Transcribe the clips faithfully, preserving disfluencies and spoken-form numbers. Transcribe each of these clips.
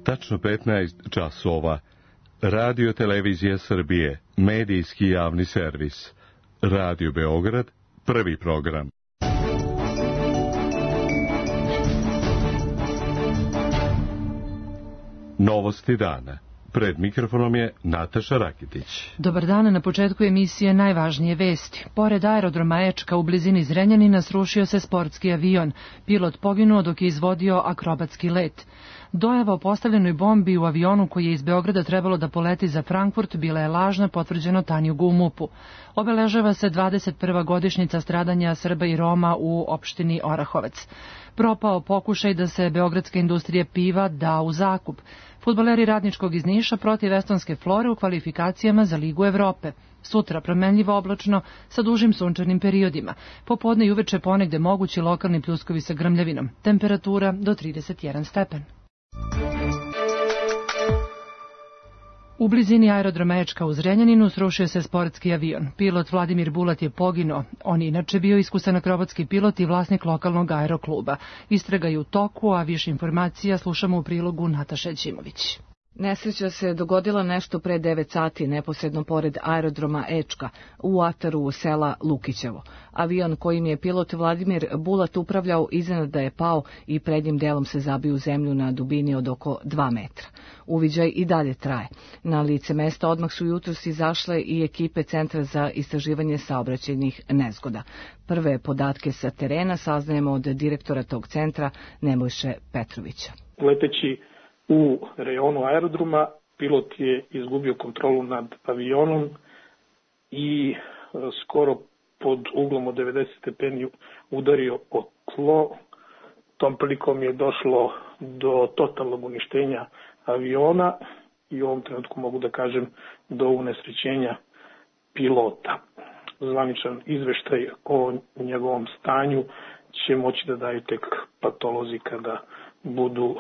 Tačno petnaest časova. Radio Televizija Srbije, medijski javni servis. Radio Beograd, prvi program. Novosti dana. Pred mikrofonom je Nataša Rakitić. Dobar dan, na početku emisije najvažnije vesti. Pored aerodroma Ečka u blizini Zrenjanina srušio se sportski avion. Pilot poginuo dok je izvodio akrobatski let. Dojava o postavljenoj bombi u avionu koji je iz Beograda trebalo da poleti za Frankfurt bila je lažna, potvrđeno Tanjugu u MUP-u. Obeležava se dvadeset prva godišnjica stradanja Srba i Roma u opštini Orahovac. Propao pokušaj da se beogradska industrija piva da u zakup. Fudbaleri Radničkog iz Niša protiv estonske Flore u kvalifikacijama za Ligu Evrope. Sutra promenljivo oblačno sa dužim sunčanim periodima. Popodne i uveče ponegde mogući lokalni pljuskovi sa grmljavinom. Temperatura do trideset jedan stepen. U blizini aerodroma Ečka u Zrenjaninu srušio se sportski avion. Pilot Vladimir Bulat je poginuo. On je inače bio iskusan akrobatski pilot i vlasnik lokalnog aerokluba. Istraga je u toku, a više informacija slušamo u prilogu Nataše Ćimović. Nesreća se dogodila nešto pre devet sati, neposredno pored aerodroma Ečka, u ataru sela Lukićevo. Avion kojim je pilot Vladimir Bulat upravljao iznenada je pao i prednjim delom se zabio u zemlju na dubini od oko dva metra. Uviđaj i dalje traje. Na lice mesta odmah su jutros izašle i ekipe Centra za istraživanje saobraćajnih nezgoda. Prve podatke sa terena saznajemo od direktora tog centra Nebojše Petrovića. Leteći u rejonu aerodroma, pilot je izgubio kontrolu nad avionom i skoro pod uglom od devedeset stepeni udario o tlo. Tom prilikom je došlo do totalnog uništenja aviona i u ovom trenutku mogu da kažem do unesrećenja pilota. Zvaničan izveštaj o njegovom stanju će moći da daju tek patolozi kada budu uh,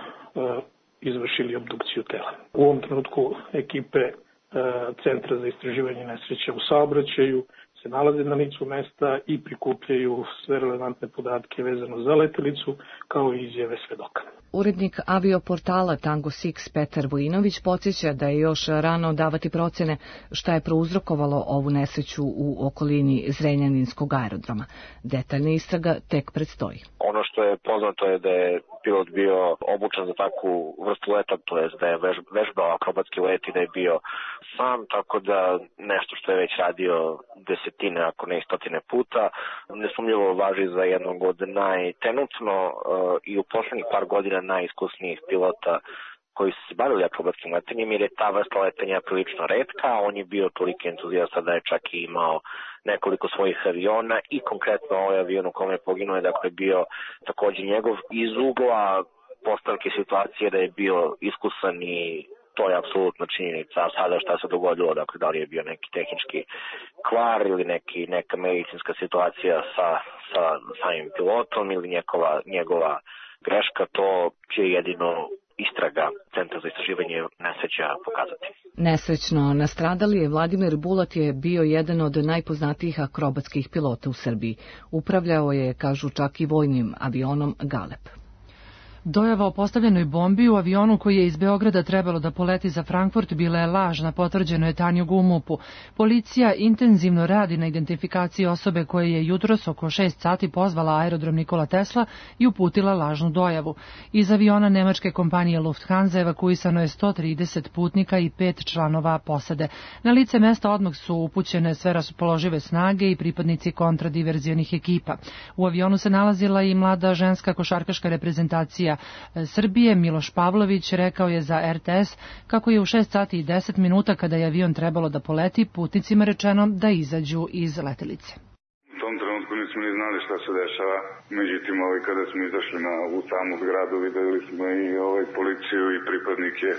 izvršili obdukciju tela. U ovom trenutku ekipe e, Centra za istraživanje nesreća u saobraćaju se nalaze na licu mesta i prikupljaju sve relevantne podatke vezano za letelicu, kao i izjave svedoka. Urednik avioportala Tango Six Petar Vojinović podsjeća da je još rano davati procene šta je prouzrokovalo ovu nesreću u okolini Zrenjaninskog aerodroma. Detaljna istraga tek predstoji. Ono što je poznato je da je pilot bio obučen za takvu vrstu leta, to je da je vežbao akrobatski let i da je bio sam, tako da nešto što je već radio desetine, ako ne i stotine puta, nesumnjivo važi za jednog od najtrenutno uh, i u poslednjih par godina najiskusnijih pilota koji su se bavili akrobatskim letenjem, jer je ta vrsta letenja prilično retka, a on je bio toliki entuzijasta da je čak i imao nekoliko svojih aviona i konkretno ovaj avion u kome je poginuo je dakle bio takođe njegov iz ugla postavke situacije da je bio iskusan i to je apsolutno činjenica. A sada šta se dogodilo, dakle da li je bio neki tehnički kvar ili neki, neka medicinska situacija sa, sa samim pilotom ili njegova, njegova greška, to će jedino istraga Centra za istraživanje nesreća pokazati. Nesrećno nastradali je Vladimir Bulat je bio jedan od najpoznatijih akrobatskih pilota u Srbiji. Upravljao je, kažu, čak i vojnim avionom Galeb. Dojava o postavljenoj bombi u avionu koji je iz Beograda trebalo da poleti za Frankfurt bila je lažna, potvrđeno je Tanjugu u MUP-u. Policija intenzivno radi na identifikaciji osobe koje je jutros oko šest sati pozvala aerodrom Nikola Tesla i uputila lažnu dojavu. Iz aviona nemačke kompanije Lufthansa evakuisano je sto trideset putnika i pet članova posade. Na lice mesta odmah su upućene sve raspoložive snage i pripadnici kontradiverzionih ekipa. U avionu se nalazila i mlada ženska košarkaška reprezentacija Srbije. Miloš Pavlović rekao je za R T S kako je u šest sati i deset minuta kada je avion trebalo da poleti putnicima rečeno da izađu iz letelice. U tom trenutku nismo ni znali šta se dešava, međutim ovaj, kada smo izašli na, u samu zgradu videli smo i ovaj, policiju i pripadnike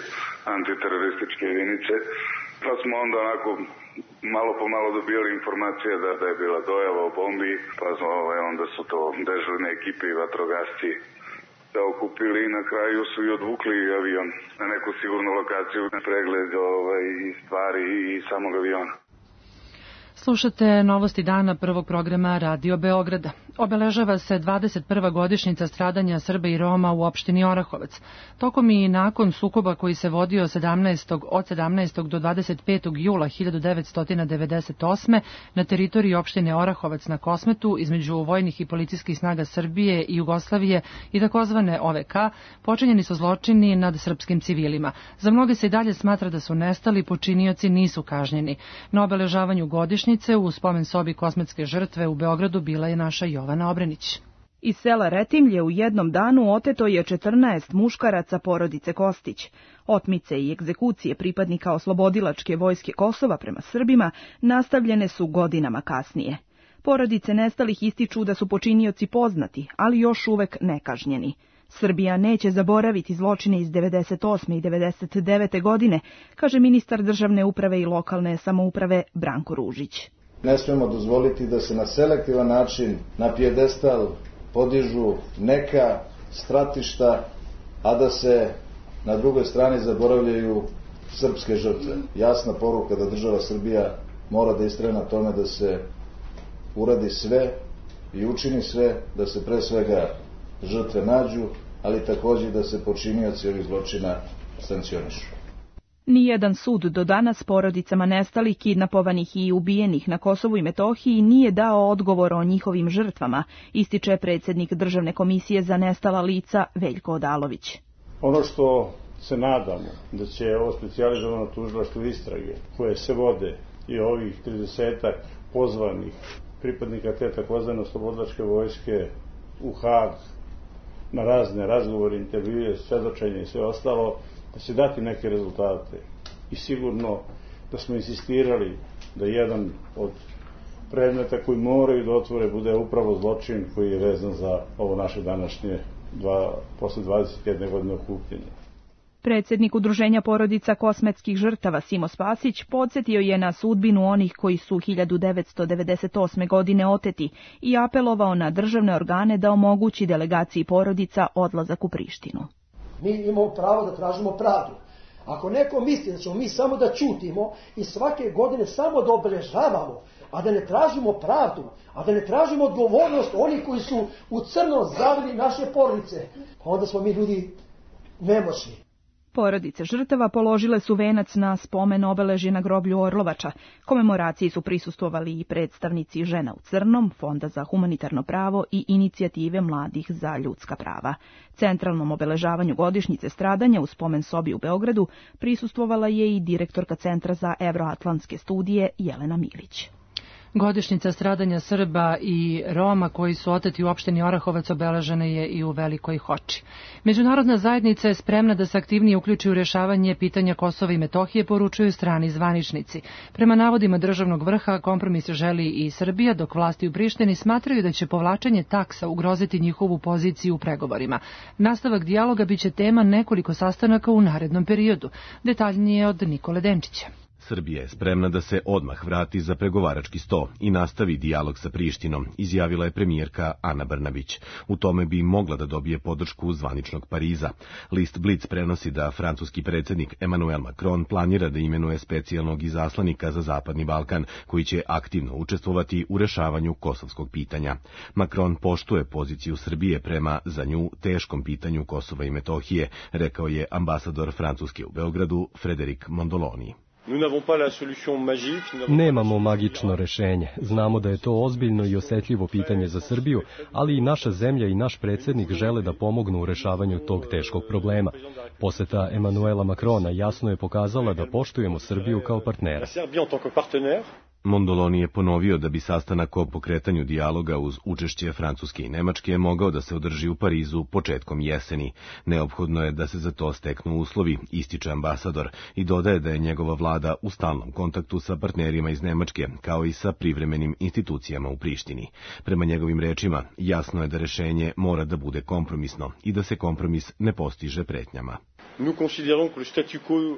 antiterorističke jedinice, pa smo onda onako malo po malo dobijali informacije da, da je bila dojava o bombi, pa smo, ovaj, onda su to dežurne ekipe i vatrogasci da okupili i na kraju su i odvukli avion na neku sigurnu lokaciju, na pregled ovaj, stvari i samog aviona. Slušate novosti dana prvog programa Radio Beograda. Obeležava se dvadeset prva godišnjica stradanja Srba i Roma u opštini Orahovac. Tokom i nakon sukoba koji se vodio sedamnaestog od sedamnaestog do dvadeset petog jula hiljadu devetsto devedeset osme. na teritoriji opštine Orahovac na Kosmetu između vojnih i policijskih snaga Srbije i Jugoslavije i takozvane O V K počinjeni su zločini nad srpskim civilima. Za mnoge se i dalje smatra da su nestali, počinioci nisu kažnjeni. Na obeležavanju godišnjice u spomen sobi Kosmetske žrtve u Beogradu bila je naša Jovana Obrenić. Iz sela Retimlje u jednom danu oteto je četrnaest muškaraca porodice Kostić. Otmice i egzekucije pripadnika oslobodilačke vojske Kosova prema Srbima nastavljene su godinama kasnije. Porodice nestalih ističu da su počinioci poznati, ali još uvek nekažnjeni. Srbija neće zaboraviti zločine iz devedeset osme i devedeset devete godine, kaže ministar državne uprave i lokalne samouprave Branko Ružić. Ne smemo dozvoliti da se na selektivan način na pijedestal podižu neka stratišta, a da se na drugoj strani zaboravljaju srpske žrtve. Jasna poruka da država Srbija mora da istraje na tome da se uradi sve i učini sve da se pre svega žrtve nađu, ali takođe da se počinioci ovih zločina sankcionišu. Nijedan sud do danas porodicama nestalih, kidnapovanih i ubijenih na Kosovu i Metohiji nije dao odgovor o njihovim žrtvama, ističe predsjednik Državne komisije za nestala lica Veljko Odalović. Ono što se nadamo da će ovo specijalizovano tužilaštvo istrage koje se vode i ovih tridesetak pozvanih pripadnika te takozvane oslobodilačke vojske u Hag na razne razgovore, intervjue, svedočenje i sve ostalo, da će dati neke rezultate. I sigurno da smo insistirali da jedan od predmeta koji moraju da otvore bude upravo zločin koji je vezan za ovo naše današnje dva, posle dvadeset jedne godine okupljenja. Predsjednik Udruženja porodica kosmetskih žrtava Simo Spasić podsjetio je na sudbinu onih koji su hiljadu devetsto devedeset osme. godine oteti i apelovao na državne organe da omogući delegaciji porodica odlazak u Prištinu. Mi imamo pravo da tražimo pravdu. Ako neko misli da ćemo mi samo da ćutimo i svake godine samo da obeležavamo, a da ne tražimo pravdu, a da ne tražimo odgovornost onih koji su u crno zavili naše porodice, onda smo mi ljudi nemoćni. Porodice žrtava položile su venac na spomen obeležje na groblju Orlovača. Komemoraciji su prisustvovali i predstavnici Žena u crnom, Fonda za humanitarno pravo i Inicijative mladih za ljudska prava. Centralnom obeležavanju godišnjice stradanja u spomen sobi u Beogradu prisustvovala je i direktorka Centra za evroatlantske studije Jelena Milić. Godišnjica stradanja Srba i Roma koji su oteti u opštini Orahovac obeležena je i u Velikoj Hoči. Međunarodna zajednica je spremna da se aktivnije uključi u rješavanje pitanja Kosova i Metohije, poručuju strani zvaničnici. Prema navodima državnog vrha, kompromis želi i Srbija, dok vlasti u Prištini smatraju da će povlačenje taksa ugroziti njihovu poziciju u pregovorima. Nastavak dijaloga biće tema nekoliko sastanaka u narednom periodu. Detaljnije od Nikole Denčića. Srbija je spremna da se odmah vrati za pregovarački sto i nastavi dijalog sa Prištinom, izjavila je premijerka Ana Brnabić. U tome bi mogla da dobije podršku zvaničnog Pariza. List Blic prenosi da francuski predsjednik Emmanuel Macron planira da imenuje specijalnog izaslanika za Zapadni Balkan, koji će aktivno učestvovati u rešavanju kosovskog pitanja. Macron poštuje poziciju Srbije prema za nju teškom pitanju Kosova i Metohije, rekao je ambasador Francuske u Beogradu Frédéric Mondoloni. Nemamo magično rešenje. Znamo da je to ozbiljno i osetljivo pitanje za Srbiju, ali i naša zemlja i naš predsjednik žele da pomognu u rešavanju tog teškog problema. Poseta Emanuela Macrona jasno je pokazala da poštujemo Srbiju kao partnera. Mondoloni je ponovio da bi sastanak o pokretanju dijaloga uz učešće Francuske i Nemačke mogao da se održi u Parizu početkom jeseni. Neophodno je da se za to steknu uslovi, ističe ambasador, i dodaje da je njegova vlada u stalnom kontaktu sa partnerima iz Nemačke, kao i sa privremenim institucijama u Prištini. Prema njegovim rečima, jasno je da rešenje mora da bude kompromisno i da se kompromis ne postiže pretnjama.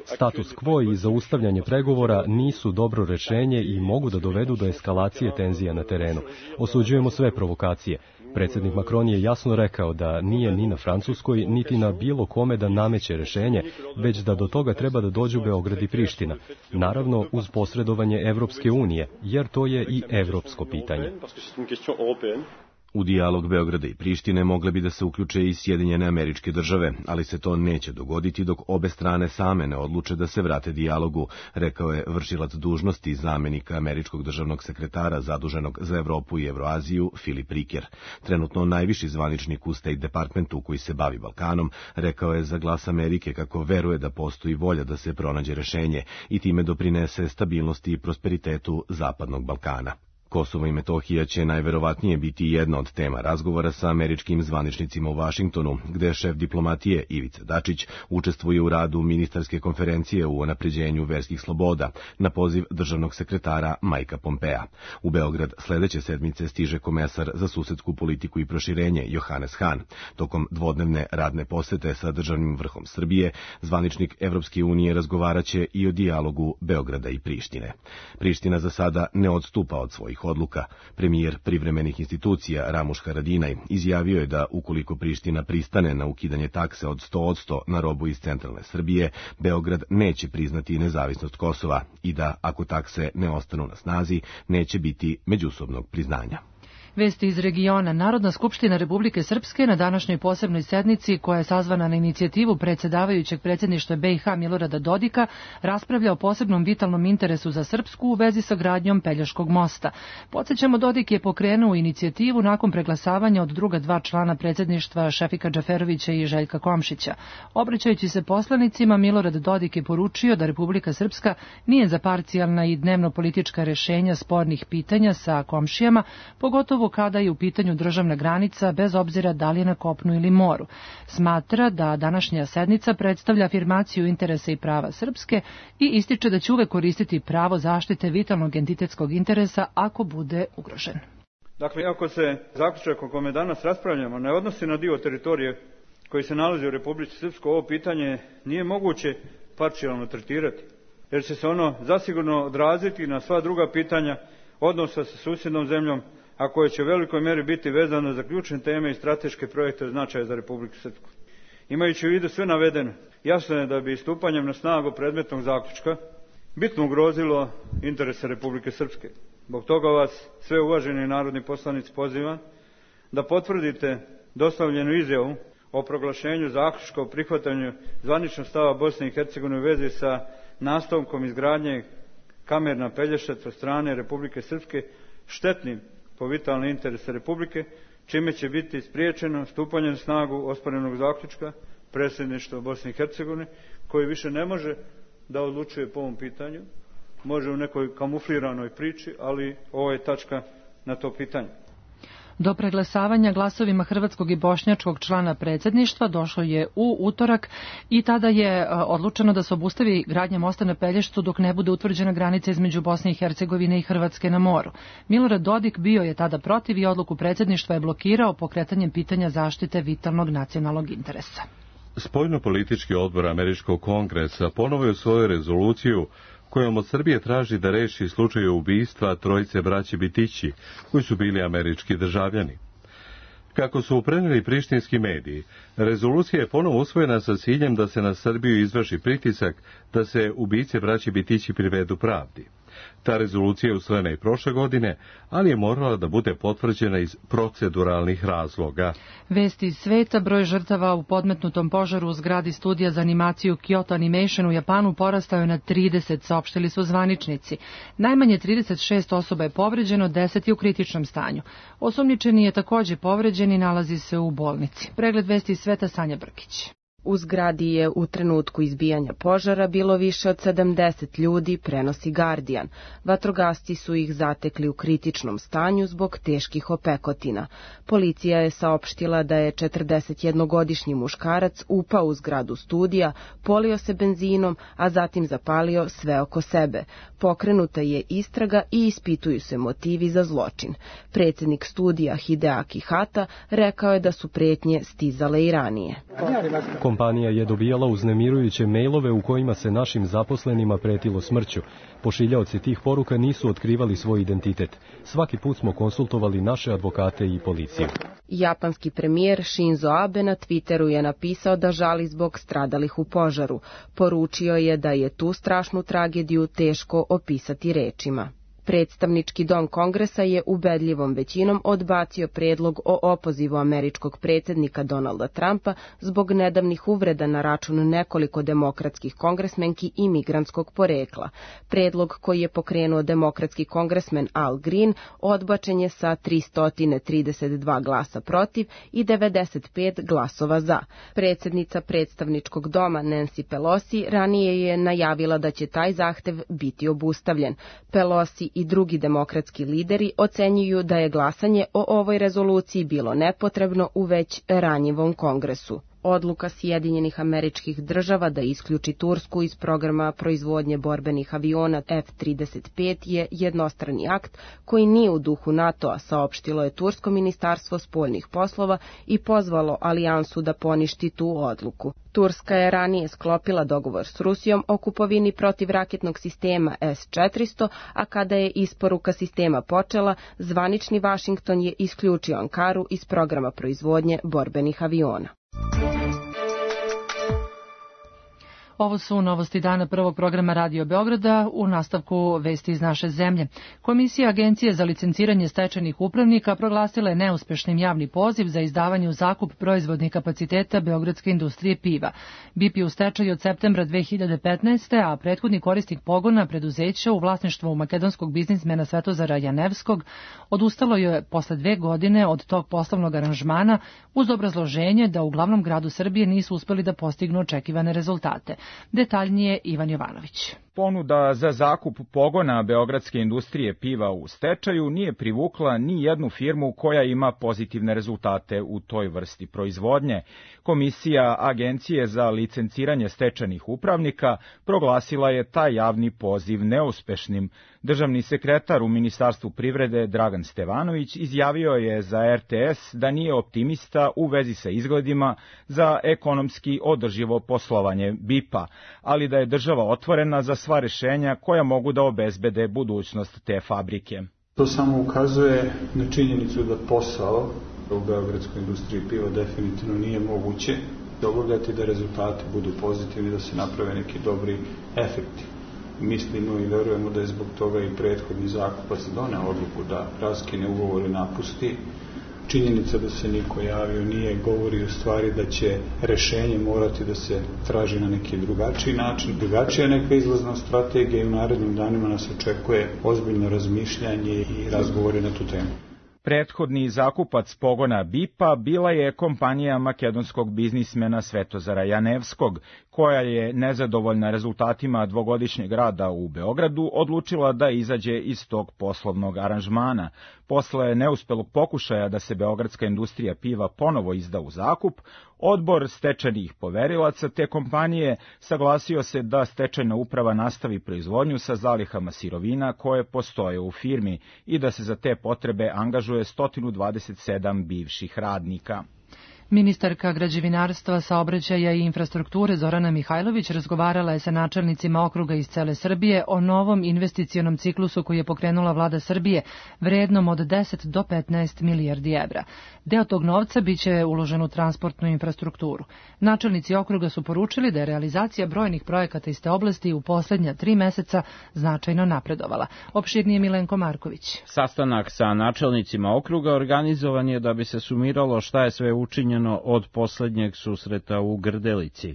Status quo i zaustavljanje pregovora nisu dobro rešenje i mogu da dovedu do eskalacije tenzija na terenu. Osuđujemo sve provokacije. Predsjednik Macron je jasno rekao da nije ni na Francuskoj, niti na bilo kome da nameće rešenje, već da do toga treba da dođu Beograd i Priština. Naravno, uz posredovanje Evropske unije, jer to je i evropsko pitanje. U dijalog Beograda i Prištine mogle bi da se uključe i Sjedinjene Američke Države, ali se to neće dogoditi dok obe strane same ne odluče da se vrate dijalogu, rekao je vršilac dužnosti zamenika američkog državnog sekretara zaduženog za Evropu i Evroaziju Filip Riker. Trenutno najviši zvaničnik u State Departmentu koji se bavi Balkanom rekao je za Glas Amerike kako veruje da postoji volja da se pronađe rešenje i time doprinese stabilnosti i prosperitetu Zapadnog Balkana. Kosovo i Metohija će najverovatnije biti jedna od tema razgovora sa američkim zvaničnicima u Vašingtonu, gde šef diplomatije Ivica Dačić učestvuje u radu ministarske konferencije u unapređenju verskih sloboda na poziv državnog sekretara Majka Pompea. U Beograd sledeće sedmice stiže komesar za susedsku politiku i proširenje Johannes Hahn. Tokom dvodnevne radne posete sa državnim vrhom Srbije, zvaničnik Evropske unije razgovaraće i o dijalogu Beograda i Prištine. Priština za sada ne odstupa od svojih odluka. Premijer privremenih institucija Ramuš Haradinaj izjavio je da ukoliko Priština pristane na ukidanje takse od sto posto na robu iz centralne Srbije, Beograd neće priznati nezavisnost Kosova i da, ako takse ne ostanu na snazi, neće biti međusobnog priznanja. Vesti iz regiona. Narodna skupština Republike Srpske na današnjoj posebnoj sednici, koja je sazvana na inicijativu predsjedavajućeg predsjedništva B i H Milorada Dodika, raspravlja o posebnom vitalnom interesu za Srpsku u vezi sa gradnjom Pelješkog mosta. Podsjećamo, Dodik je pokrenuo inicijativu nakon preglasavanja od druga dva člana predsjedništva Šefika Džaferovića i Željka Komšića. Obraćajući se poslanicima, Milorad Dodik je poručio da Republika Srpska nije za parcijalna i dnevno politička rešenja spornih pitanja sa komšijama, pogotovo kada je u pitanju državna granica, bez obzira da li je na kopnu ili moru. Smatra da današnja sednica predstavlja afirmaciju interesa i prava Srpske i ističe da će uvek koristiti pravo zaštite vitalnog entitetskog interesa ako bude ugrožen. Dakle, ako se zaključak o kome danas raspravljamo ne odnosi na dio teritorije koji se nalazi u Republici Srpskoj, ovo pitanje nije moguće parcijalno tretirati, jer će se ono zasigurno odraziti na sva druga pitanja odnosa sa susjednom zemljom, a koje će u velikoj mjeri biti vezano za ključne teme i strateške projekte od značaja za Republiku Srpsku. Imajući u vidu sve navedeno, jasno je da bi stupanjem na snagu predmetnog zaključka bitno ugrozilo interese Republike Srpske. Zbog toga vas, sve uvaženi narodni poslanici, pozivam da potvrdite dostavljenu izjavu o proglašenju zaključka o prihvatanju zvaničnog stava Bosne i Hercegovine u vezi sa nastavkom izgradnje kamer na Pelješac od strane Republike Srpske štetnim po vitalne interese Republike, čime će biti spriječeno stupanje na snagu osporenog zaključka predsjedništva Bosne i Hercegovine, koji više ne može da odlučuje po ovom pitanju, može u nekoj kamufliranoj priči, ali ovo je tačka na to pitanje. Do preglasavanja glasovima hrvatskog i bošnjačkog člana predsjedništva došlo je u utorak i tada je odlučeno da se obustavi gradnja mosta na Pelješcu dok ne bude utvrđena granica između Bosne i Hercegovine i Hrvatske na moru. Milorad Dodik bio je tada protiv i odluku predsjedništva je blokirao pokretanjem pitanja zaštite vitalnog nacionalnog interesa. Spoljno-politički odbor Američkog kongresa ponovo je u svoju rezoluciju kojom od Srbije traži da reši slučaj ubistva trojice braće Bitići, koji su bili američki državljani. Kako su preneli prištinski mediji, rezolucija je ponovo usvojena sa ciljem da se na Srbiju izvrši pritisak da se ubice braće Bitići privedu pravdi. Ta rezolucija je usvojena i prošle godine, ali je morala da bude potvrđena iz proceduralnih razloga. Vesti iz sveta. Broj žrtava u podmetnutom požaru u zgradi studija za animaciju Kyoto Animation u Japanu porastao je na trideset, saopštili su zvaničnici. Najmanje trideset šest osoba je povređeno, deset je u kritičnom stanju. Osumnjičeni je također povređen i nalazi se u bolnici. Pregled vesti iz sveta, Sanja Brkić. U zgradi je u trenutku izbijanja požara bilo više od sedamdeset ljudi, prenosi Guardian. Vatrogasci su ih zatekli u kritičnom stanju zbog teških opekotina. Policija je saopštila da je četrdesetjednogodišnji muškarac upao u zgradu studija, polio se benzinom, a zatim zapalio sve oko sebe. Pokrenuta je istraga i ispituju se motivi za zločin. Predsjednik studija Hideaki Hata rekao je da su pretnje stizale i ranije. Kompanija je dobijala uznemirujuće mejlove u kojima se našim zaposlenima pretilo smrću. Pošiljaoci tih poruka nisu otkrivali svoj identitet. Svaki put smo konsultovali naše advokate i policiju. Japanski premijer Shinzo Abe na Twitteru je napisao da žali zbog stradalih u požaru. Poručio je da je tu strašnu tragediju teško opisati rečima. Predstavnički dom Kongresa je ubedljivom većinom odbacio predlog o opozivu američkog predsjednika Donalda Trumpa zbog nedavnih uvreda na račun nekoliko demokratskih kongresmenki i migrantskog porekla. Predlog koji je pokrenuo demokratski kongresmen Al Green odbačen je sa tristo trideset dva glasa protiv i devedeset pet glasova za. Predsjednica predstavničkog doma Nancy Pelosi ranije je najavila da će taj zahtev biti obustavljen. Pelosi i drugi demokratski lideri ocenjuju da je glasanje o ovoj rezoluciji bilo nepotrebno u već ranjivom kongresu. Odluka Sjedinjenih Američkih Država da isključi Tursku iz programa proizvodnje borbenih aviona F trideset pet je jednostrani akt koji nije u duhu NATO-a, saopštilo je Tursko ministarstvo spoljnih poslova i pozvalo alijansu da poništi tu odluku. Turska je ranije sklopila dogovor s Rusijom o kupovini protivraketnog sistema S četiristo, a kada je isporuka sistema počela, zvanični Vašington je isključio Ankaru iz programa proizvodnje borbenih aviona. Ovo su novosti dana prvog programa Radio Beograda, u nastavku vesti iz naše zemlje. Komisija Agencije za licenciranje stečajnih upravnika proglasila je neuspešnim javni poziv za izdavanje u zakup proizvodnih kapaciteta beogradske industrije piva. B I P je u stečaju od septembra dve hiljade petnaeste. a prethodni korisnik pogona preduzeća u vlasništvu makedonskog biznismena Svetozara Janevskog odustalo je posle dve godine od tog poslovnog aranžmana uz obrazloženje da u glavnom gradu Srbije nisu uspeli da postignu očekivane rezultate. Detaljnije Ivan Jovanović. Ponuda za zakup pogona beogradske industrije piva u stečaju nije privukla ni jednu firmu koja ima pozitivne rezultate u toj vrsti proizvodnje. Komisija Agencije za licenciranje stečajnih upravnika proglasila je taj javni poziv neuspešnim. Državni sekretar u Ministarstvu privrede Dragan Stevanović izjavio je za R T S da nije optimista u vezi sa izgledima za ekonomski održivo poslovanje B I P-a, ali da je država otvorena za sva rešenja koja mogu da obezbede budućnost te fabrike. To samo ukazuje na činjenicu da posao u beogradskoj industriji piva definitivno nije moguće obavljati, da rezultati budu pozitivni, da se naprave neki dobri efekti. Mislimo i verujemo da je zbog toga i prethodni zakupac doneo odluku da raskine ugovor i napusti. Činjenica da se niko javio nije govori u stvari da će rešenje morati da se traži na neki drugačiji način. Drugačija neka izlazna strategija i u narednim danima nas očekuje ozbiljno razmišljanje i razgovore na tu temu. Prethodni zakupac pogona B I P-a bila je kompanija makedonskog biznismena Svetozara Janevskog, koja je nezadovoljna rezultatima dvogodišnjeg rada u Beogradu odlučila da izađe iz tog poslovnog aranžmana. Posle neuspelog pokušaja da se beogradska industrija piva ponovo izda u zakup, odbor stečajnih poverilaca te kompanije saglasio se da stečajna uprava nastavi proizvodnju sa zalihama sirovina koje postoje u firmi i da se za te potrebe angažuje sto dvadeset sedam bivših radnika. Ministarka građevinarstva, saobraćaja i infrastrukture Zorana Mihajlović razgovarala je sa načelnicima okruga iz cele Srbije o novom investicionom ciklusu koji je pokrenula vlada Srbije, vrednom od deset do petnaest milijardi evra. Deo tog novca biće uložen u transportnu infrastrukturu. Načelnici okruga su poručili da je realizacija brojnih projekata iz te oblasti u poslednja tri meseca značajno napredovala. Opširnije Milenko Marković. Sastanak sa načelnicima okruga organizovan je da bi se sumiralo šta je sve učinjeno od poslednjeg susreta u Grdelici.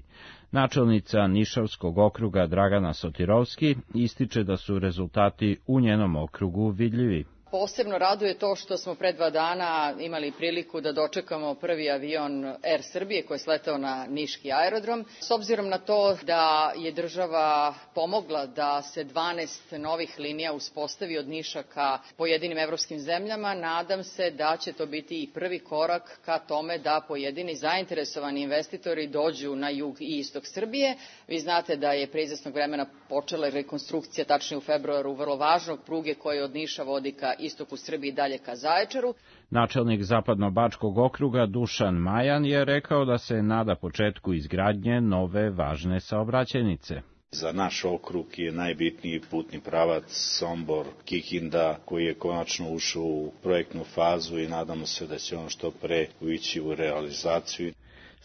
Načelnica Nišavskog okruga Dragana Sotirovski ističe da su rezultati u njenom okrugu vidljivi. Posebno raduje to što smo pre dva dana imali priliku da dočekamo prvi avion Er Srbije koji je sletao na niški aerodrom. S obzirom na to da je država pomogla da se dvanaest novih linija uspostavi od Niša ka pojedinim evropskim zemljama, nadam se da će to biti i prvi korak ka tome da pojedini zainteresovani investitori dođu na jug i istok Srbije. Vi znate da je pre izvesnog vremena počela rekonstrukcija, tačnije u februaru, vrlo važnog pruge koje od Niša vodi ka istoku Srbije i dalje ka Zaječaru. Načelnik Zapadno-Bačkog okruga Dušan Majan je rekao da se nada početku izgradnje nove važne saobraćajnice. Za naš okrug je najbitniji putni pravac Sombor-Kikinda, koji je konačno ušao u projektnu fazu i nadamo se da će on što pre ući u realizaciju.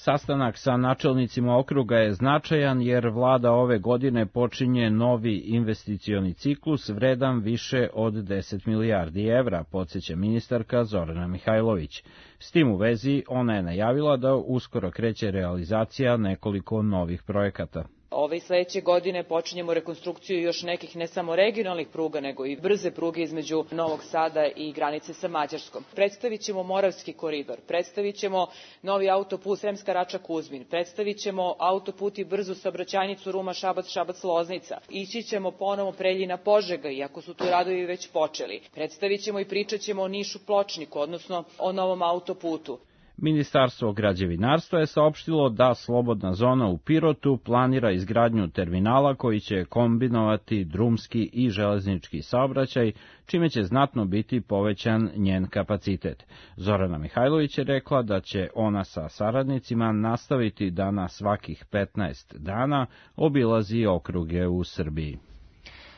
Sastanak sa načelnicima okruga je značajan jer vlada ove godine počinje novi investicioni ciklus vredan više od deset milijardi evra, podsjeća ministarka Zorana Mihajlović. S tim u vezi ona je najavila da uskoro kreće realizacija nekoliko novih projekata. Ove i sledeće godine počinjemo rekonstrukciju još nekih ne samo regionalnih pruga, nego i brze pruge između Novog Sada i granice sa Mađarskom. Predstavit ćemo Moravski koridor, predstavit ćemo novi autoput Sremska Rača-Kuzmin, predstavit ćemo autoput i brzu saobraćajnicu Ruma-Šabac, Šabac-Loznica. Ići ćemo ponovo Preljina-Požega, iako su tu radovi već počeli. Predstavit ćemo i pričat ćemo o Nišu-Pločniku, odnosno o novom autoputu. Ministarstvo građevinarstva je saopštilo da slobodna zona u Pirotu planira izgradnju terminala koji će kombinovati drumski i železnički saobraćaj, čime će znatno biti povećan njen kapacitet. Zorana Mihajlović je rekla da će ona sa saradnicima nastaviti da na svakih petnaest dana obilazi okruge u Srbiji.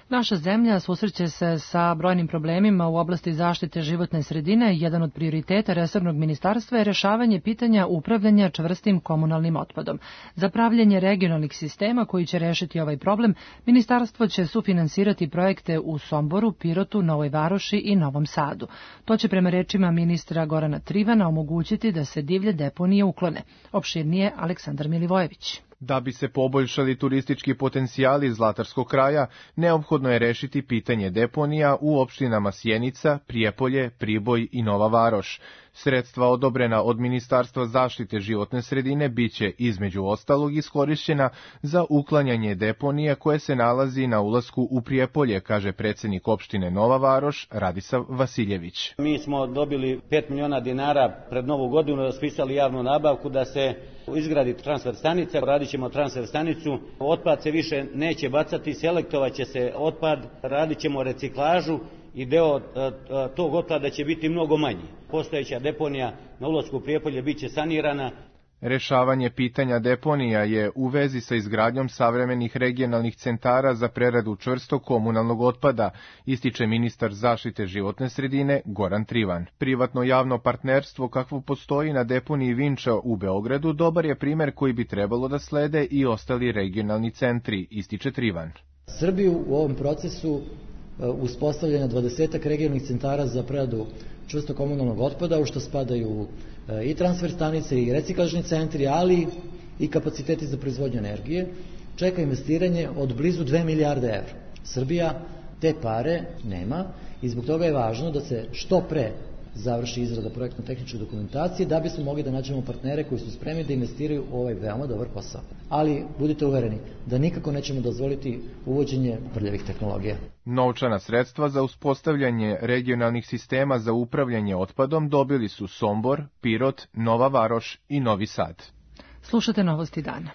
Naša zemlja susreće se sa brojnim problemima u oblasti zaštite životne sredine. Jedan od prioriteta resornog ministarstva je rešavanje pitanja upravljanja čvrstim komunalnim otpadom. Za pravljenje regionalnih sistema koji će rešiti ovaj problem, ministarstvo će sufinansirati projekte u Somboru, Pirotu, Novoj Varoši i Novom Sadu. To će prema rečima ministra Gorana Trivana omogućiti da se divlje deponije uklone. Opširnije Aleksandar Milivojević. Da bi se poboljšali turistički potencijali Zlatarskog kraja, neophodno je rešiti pitanje deponija u opštinama Sjenica, Prijepolje, Priboj i Nova Varoš. Sredstva odobrena od Ministarstva zaštite životne sredine biće između ostalog iskorišćena za uklanjanje deponija koje se nalazi na ulasku u Prijepolje, kaže predsednik opštine Nova Varoš Radisav Vasiljević. Mi smo dobili pet miliona dinara pred novu godinu, raspisali javnu nabavku da se izgradi transfer stanica, radit ćemo transfer stanicu, otpad se više neće bacati, selektovat će se otpad, radit ćemo reciklažu i deo tog otpada će biti mnogo manji. Postojeća deponija na ulasku u Prijepolje biće sanirana. Rešavanje pitanja deponija je u vezi sa izgradnjom savremenih regionalnih centara za preradu čvrstog komunalnog otpada, ističe ministar zaštite životne sredine Goran Trivan. Privatno javno partnerstvo kakvo postoji na deponiji Vinča u Beogradu dobar je primer koji bi trebalo da slede i ostali regionalni centri, ističe Trivan. Srbiju u ovom procesu uspostavljanja dvadesetak regionalnih centara za preradu čvrstog komunalnog otpada, u što spadaju i transfer stanice i reciklažni centri, ali i kapaciteti za proizvodnju energije, čeka investiranje od blizu dve milijarde evra. Srbija te pare nema i zbog toga je važno da se što pre završi izrada projektno-tehničke dokumentacije da bismo mogli da nađemo partnere koji su spremni da investiraju u ovaj veoma dobar posao. Ali budite uvereni da nikako nećemo dozvoliti uvođenje prljavih tehnologija. Novčana sredstva za uspostavljanje regionalnih sistema za upravljanje otpadom dobili su Sombor, Pirot, Nova Varoš i Novi Sad. Slušate novosti dana.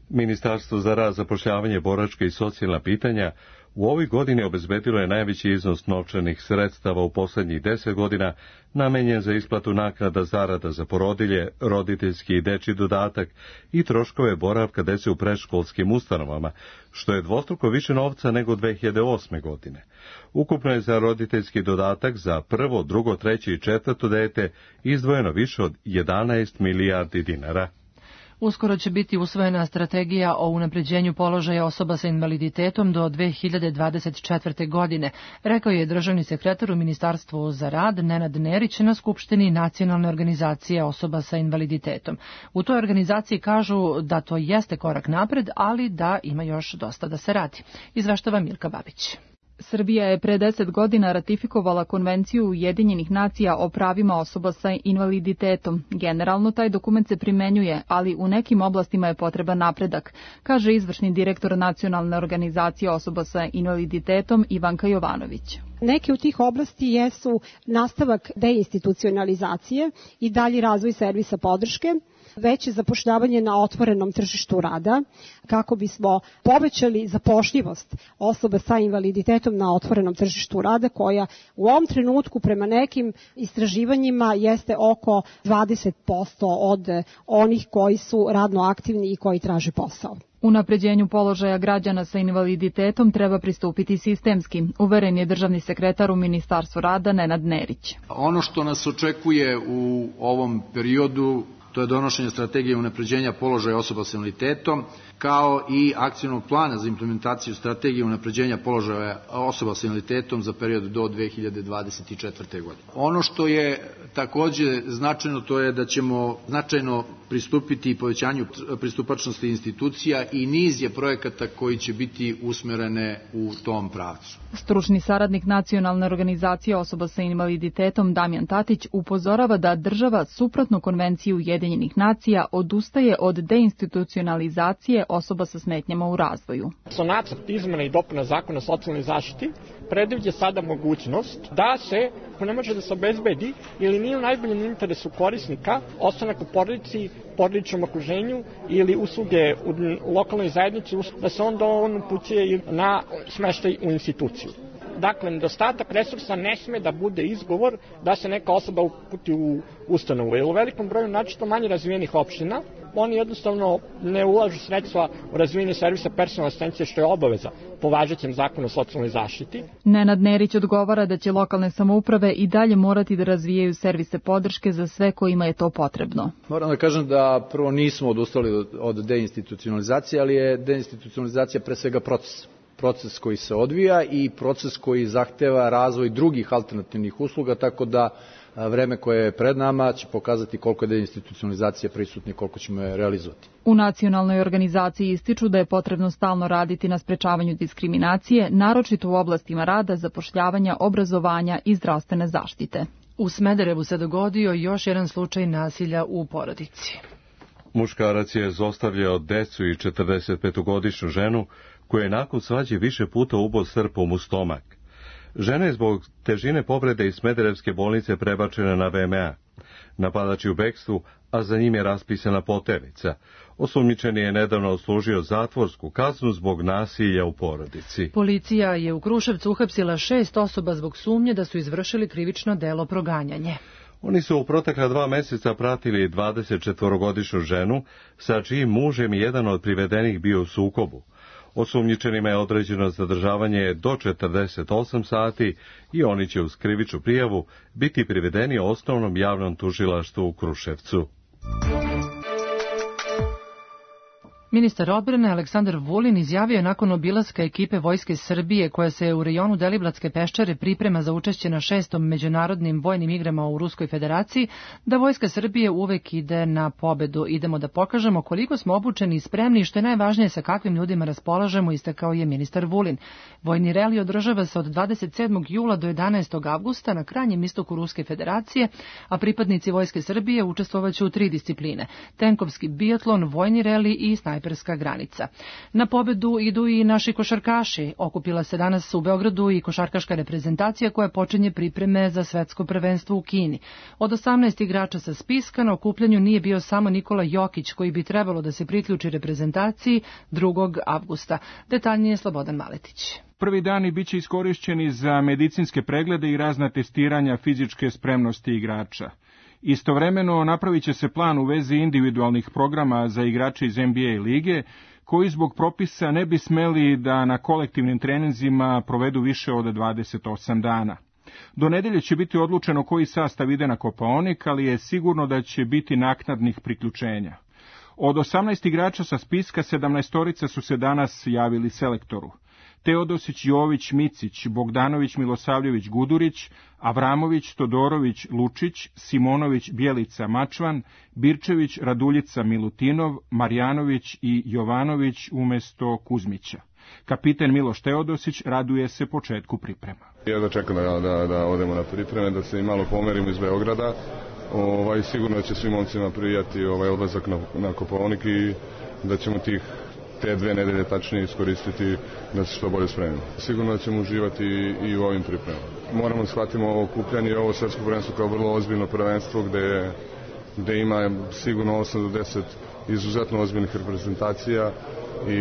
Ministarstvo za rad, zapošljavanje, boračka i socijalna pitanja u ovoj godini obezbedilo je najveći iznos novčanih sredstava u poslednjih deset godina namenjen za isplatu naknada zarada za porodilje, roditeljski i dečji dodatak i troškove boravka dece u predškolskim ustanovama, što je dvostruko više novca nego dve hiljade osme. godine. Ukupno je za roditeljski dodatak za prvo, drugo, treće i četvrto dete izdvojeno više od jedanaest milijardi dinara. Uskoro će biti usvojena strategija o unapređenju položaja osoba sa invaliditetom do dve hiljade dvadeset četvrte. godine, rekao je državni sekretar u Ministarstvu za rad Nenad Nerić na Skupštini Nacionalne organizacije osoba sa invaliditetom. U toj organizaciji kažu da to jeste korak napred, ali da ima još dosta da se radi. Izveštava Milka Babić. Srbija je pre deset godina ratifikovala Konvenciju Ujedinjenih nacija o pravima osoba sa invaliditetom. Generalno taj dokument se primenjuje, ali u nekim oblastima je potreban napredak, kaže izvršni direktor Nacionalne organizacije osoba sa invaliditetom Ivanka Jovanović. Neke od tih oblasti jesu nastavak deinstitucionalizacije i dalji razvoj servisa podrške, veće zapošljavanje na otvorenom tržištu rada, kako bismo povećali zapošljivost osoba sa invaliditetom na otvorenom tržištu rada, koja u ovom trenutku prema nekim istraživanjima jeste oko dvadeset posto od onih koji su radno aktivni i koji traže posao. Unapređenju položaja građana sa invaliditetom treba pristupiti sistemski, uveren je državni sekretar u Ministarstvu rada Nenad Nerić. Ono što nas očekuje u ovom periodu to je donošenje strategije unapređenja položaja osoba s invaliditetom, kao i akcionog plana za implementaciju strategije unapređenja položaja osoba s invaliditetom za period do dve hiljade dvadeset četvrte. godine. Ono što je takođe značajno, to je da ćemo značajno pristupiti povećanju pristupačnosti institucija i niz je projekata koji će biti usmerene u tom pravcu. Stručni saradnik Nacionalne organizacije osoba sa invaliditetom Damjan Tatić upozorava da država suprotno Konvenciji Ujedinjenih nacija odustaje od deinstitucionalizacije osoba sa smetnjama u razvoju. So nacrt izmena i dopuna zakona o socijalnoj zaštiti predviđa sada mogućnost da se, ako ne može da se obezbedi ili nije u najboljem interesu korisnika, ostanak u porodici, porodičnom okruženju ili usluge u lokalnoj zajednici, da se onda on upućuje na smeštaj u instituciju. Dakle, nedostatak resursa ne sme da bude izgovor da se neka osoba uputi u ustanovu. Jer u velikom broju načito manje razvijenih opština, oni jednostavno ne ulažu sredstva u razvijenje servisa personalne asistencije, što je obaveza po važećem zakonu o socijalnoj zaštiti. Nenad Nerić odgovara da će lokalne samouprave i dalje morati da razvijaju servise podrške za sve kojima je to potrebno. Moram da kažem da prvo nismo odustali od deinstitucionalizacije, ali je deinstitucionalizacija pre svega proces. Proces koji se odvija i proces koji zahteva razvoj drugih alternativnih usluga, tako da vreme koje je pred nama će pokazati koliko je deinstitucionalizacija prisutna i koliko ćemo je realizovati. U nacionalnoj organizaciji ističu da je potrebno stalno raditi na sprečavanju diskriminacije, naročito u oblastima rada, zapošljavanja, obrazovanja i zdravstvene zaštite. U Smederevu se dogodio još jedan slučaj nasilja u porodici. Muškarac je zlostavljao decu i četrdesetpetogodišnju ženu koja je nakon svađe više puta ubao srpom u stomak. Žena je zbog težine povrede iz Smederevske bolnice prebačena na V M A. Napadač je u bekstvu, a za njim je raspisana poternica. Osumnjičeni je nedavno odslužio zatvorsku kaznu zbog nasilja u porodici. Policija je u Kruševcu uhapsila šest osoba zbog sumnje da su izvršili krivično delo proganjanje. Oni su u protekla dva meseca pratili dvadesetčetvorogodišnju ženu, sa čijim mužem jedan od privedenih bio u sukobu. Osumnjičenima je određeno zadržavanje do četrdeset osam sati i oni će uz krivičnu prijavu biti privedeni osnovnom javnom tužilaštvu u Kruševcu. Ministar odbrane Aleksandar Vulin izjavio je nakon obilaska ekipe Vojske Srbije koja se u rejonu Deliblatske peščare priprema za učešće na šestom međunarodnim vojnim igrama u Ruskoj federaciji da Vojska Srbije uvek ide na pobedu. Idemo da pokažemo koliko smo obučeni i spremni i što je najvažnije sa kakvim ljudima raspolažemo, istakao je ministar Vulin. Vojni reli održava se od dvadeset sedmog jula do jedanaestog avgusta na krajnjem istoku Ruske federacije, a pripadnici Vojske Srbije učestvovaće u tri discipline: tenkovski biatlon, vojni reli i snajperska granica. Na pobedu idu i naši košarkaši. Okupila se danas u Beogradu i košarkaška reprezentacija koja počinje pripreme za svetsko prvenstvo u Kini. Od osamnaest igrača sa spiska na okupljanju nije bio samo Nikola Jokić, koji bi trebalo da se priključi reprezentaciji drugog avgusta. Detaljnije Slobodan Maletić. Prvi dani biće iskorišćeni za medicinske preglede i razna testiranja fizičke spremnosti igrača. Istovremeno napravit će se plan u vezi individualnih programa za igrače iz N B A lige, koji zbog propisa ne bi smeli da na kolektivnim treninzima provedu više od dvadeset osam dana. Do nedelje će biti odlučeno koji sastav ide na Kopaonik, ali je sigurno da će biti naknadnih priključenja. Od osamnaest igrača sa spiska, sedamnaestorica su se danas javili selektoru. Teodosić, Jović, Micić, Bogdanović, Milosavljević, Gudurić, Avramović, Todorović, Lučić, Simonović, Bjelica, Mačvan, Birčević, Raduljica, Milutinov, Marjanović i Jovanović umesto Kuzmića. Kapiten Miloš Teodosić raduje se početku priprema. Ja da čekam da, da, da odemo na pripreme, da se i malo pomerimo iz Beograda. Ovaj, sigurno će svim momcima prijati ovaj odlazak na, na Kopaonik i da ćemo tih te dve nedelje tačnije iskoristiti da se što bolje spremimo. Sigurno da ćemo uživati i, i u ovim pripremama. Moramo da shvatimo ovo okupljanje i ovo svetsko prvenstvo kao vrlo ozbiljno prvenstvo gde, gde ima sigurno osam do deset izuzetno ozbiljnih reprezentacija i,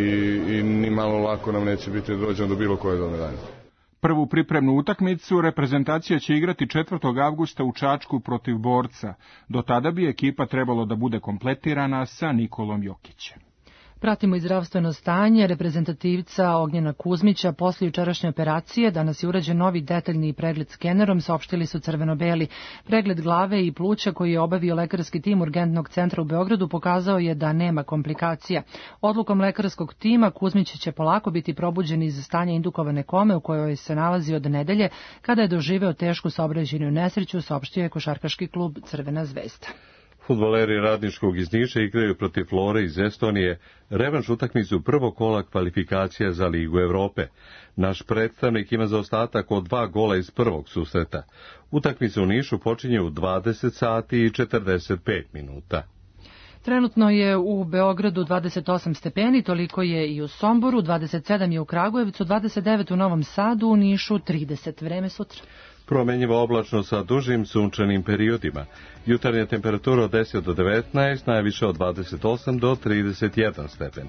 i ni malo lako nam neće biti da dođemo do bilo koje do medalje. Prvu pripremnu utakmicu reprezentacija će igrati četvrtog avgusta u Čačku protiv Borca. Do tada bi ekipa trebalo da bude kompletirana sa Nikolom Jokićem. Pratimo i zdravstveno stanje reprezentativca Ognjena Kuzmića posle jučerašnje operacije. Danas je urađen novi detaljni pregled skenerom, saopštili su crveno-beli. Pregled glave i pluća koji je obavio lekarski tim Urgentnog centra u Beogradu pokazao je da nema komplikacija. Odlukom lekarskog tima Kuzmić će polako biti probuđen iz stanja indukovane kome u kojoj se nalazi od nedelje kada je doživeo tešku saobraćajnu nesreću, saopštio je košarkaški klub Crvena zvezda. Fudbaleri Radničkog iz Niša igraju protiv Flore iz Estonije revanš utakmicu prvog kola kvalifikacija za Ligu Evrope. Naš predstavnik ima zaostatak od dva gola iz prvog susreta. Utakmica u Nišu počinje u dvadeset sati i četrdeset pet minuta. Trenutno je u Beogradu dvadeset osam stepeni, toliko je i u Somboru, dvadeset sedam je u Kragujevcu, dvadeset devet u Novom Sadu, u Nišu trideset. Vreme sutra. Promenjivo oblačno sa dužim sunčanim periodima. Jutarnja temperatura od deset do devetnaest, najviše od dvadeset osam do trideset jedan stepen.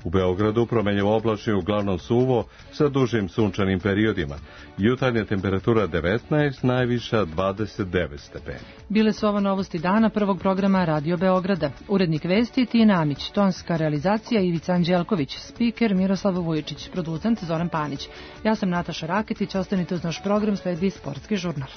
U Beogradu promenjivo oblačno je uglavnom suvo sa dužim sunčanim periodima. Jutarnja temperatura devetnaest, najviša dvadeset devet stepeni. Bile su ovo novosti dana prvog programa Radio Beograda. Urednik vesti Tina Amić, tonska realizacija Ivica Anđelković, spiker Miroslav Vujičić, producent Zoran Panić. Ja sam Nataša Raketić, ostanite uz naš program, sledi sportski žurnal.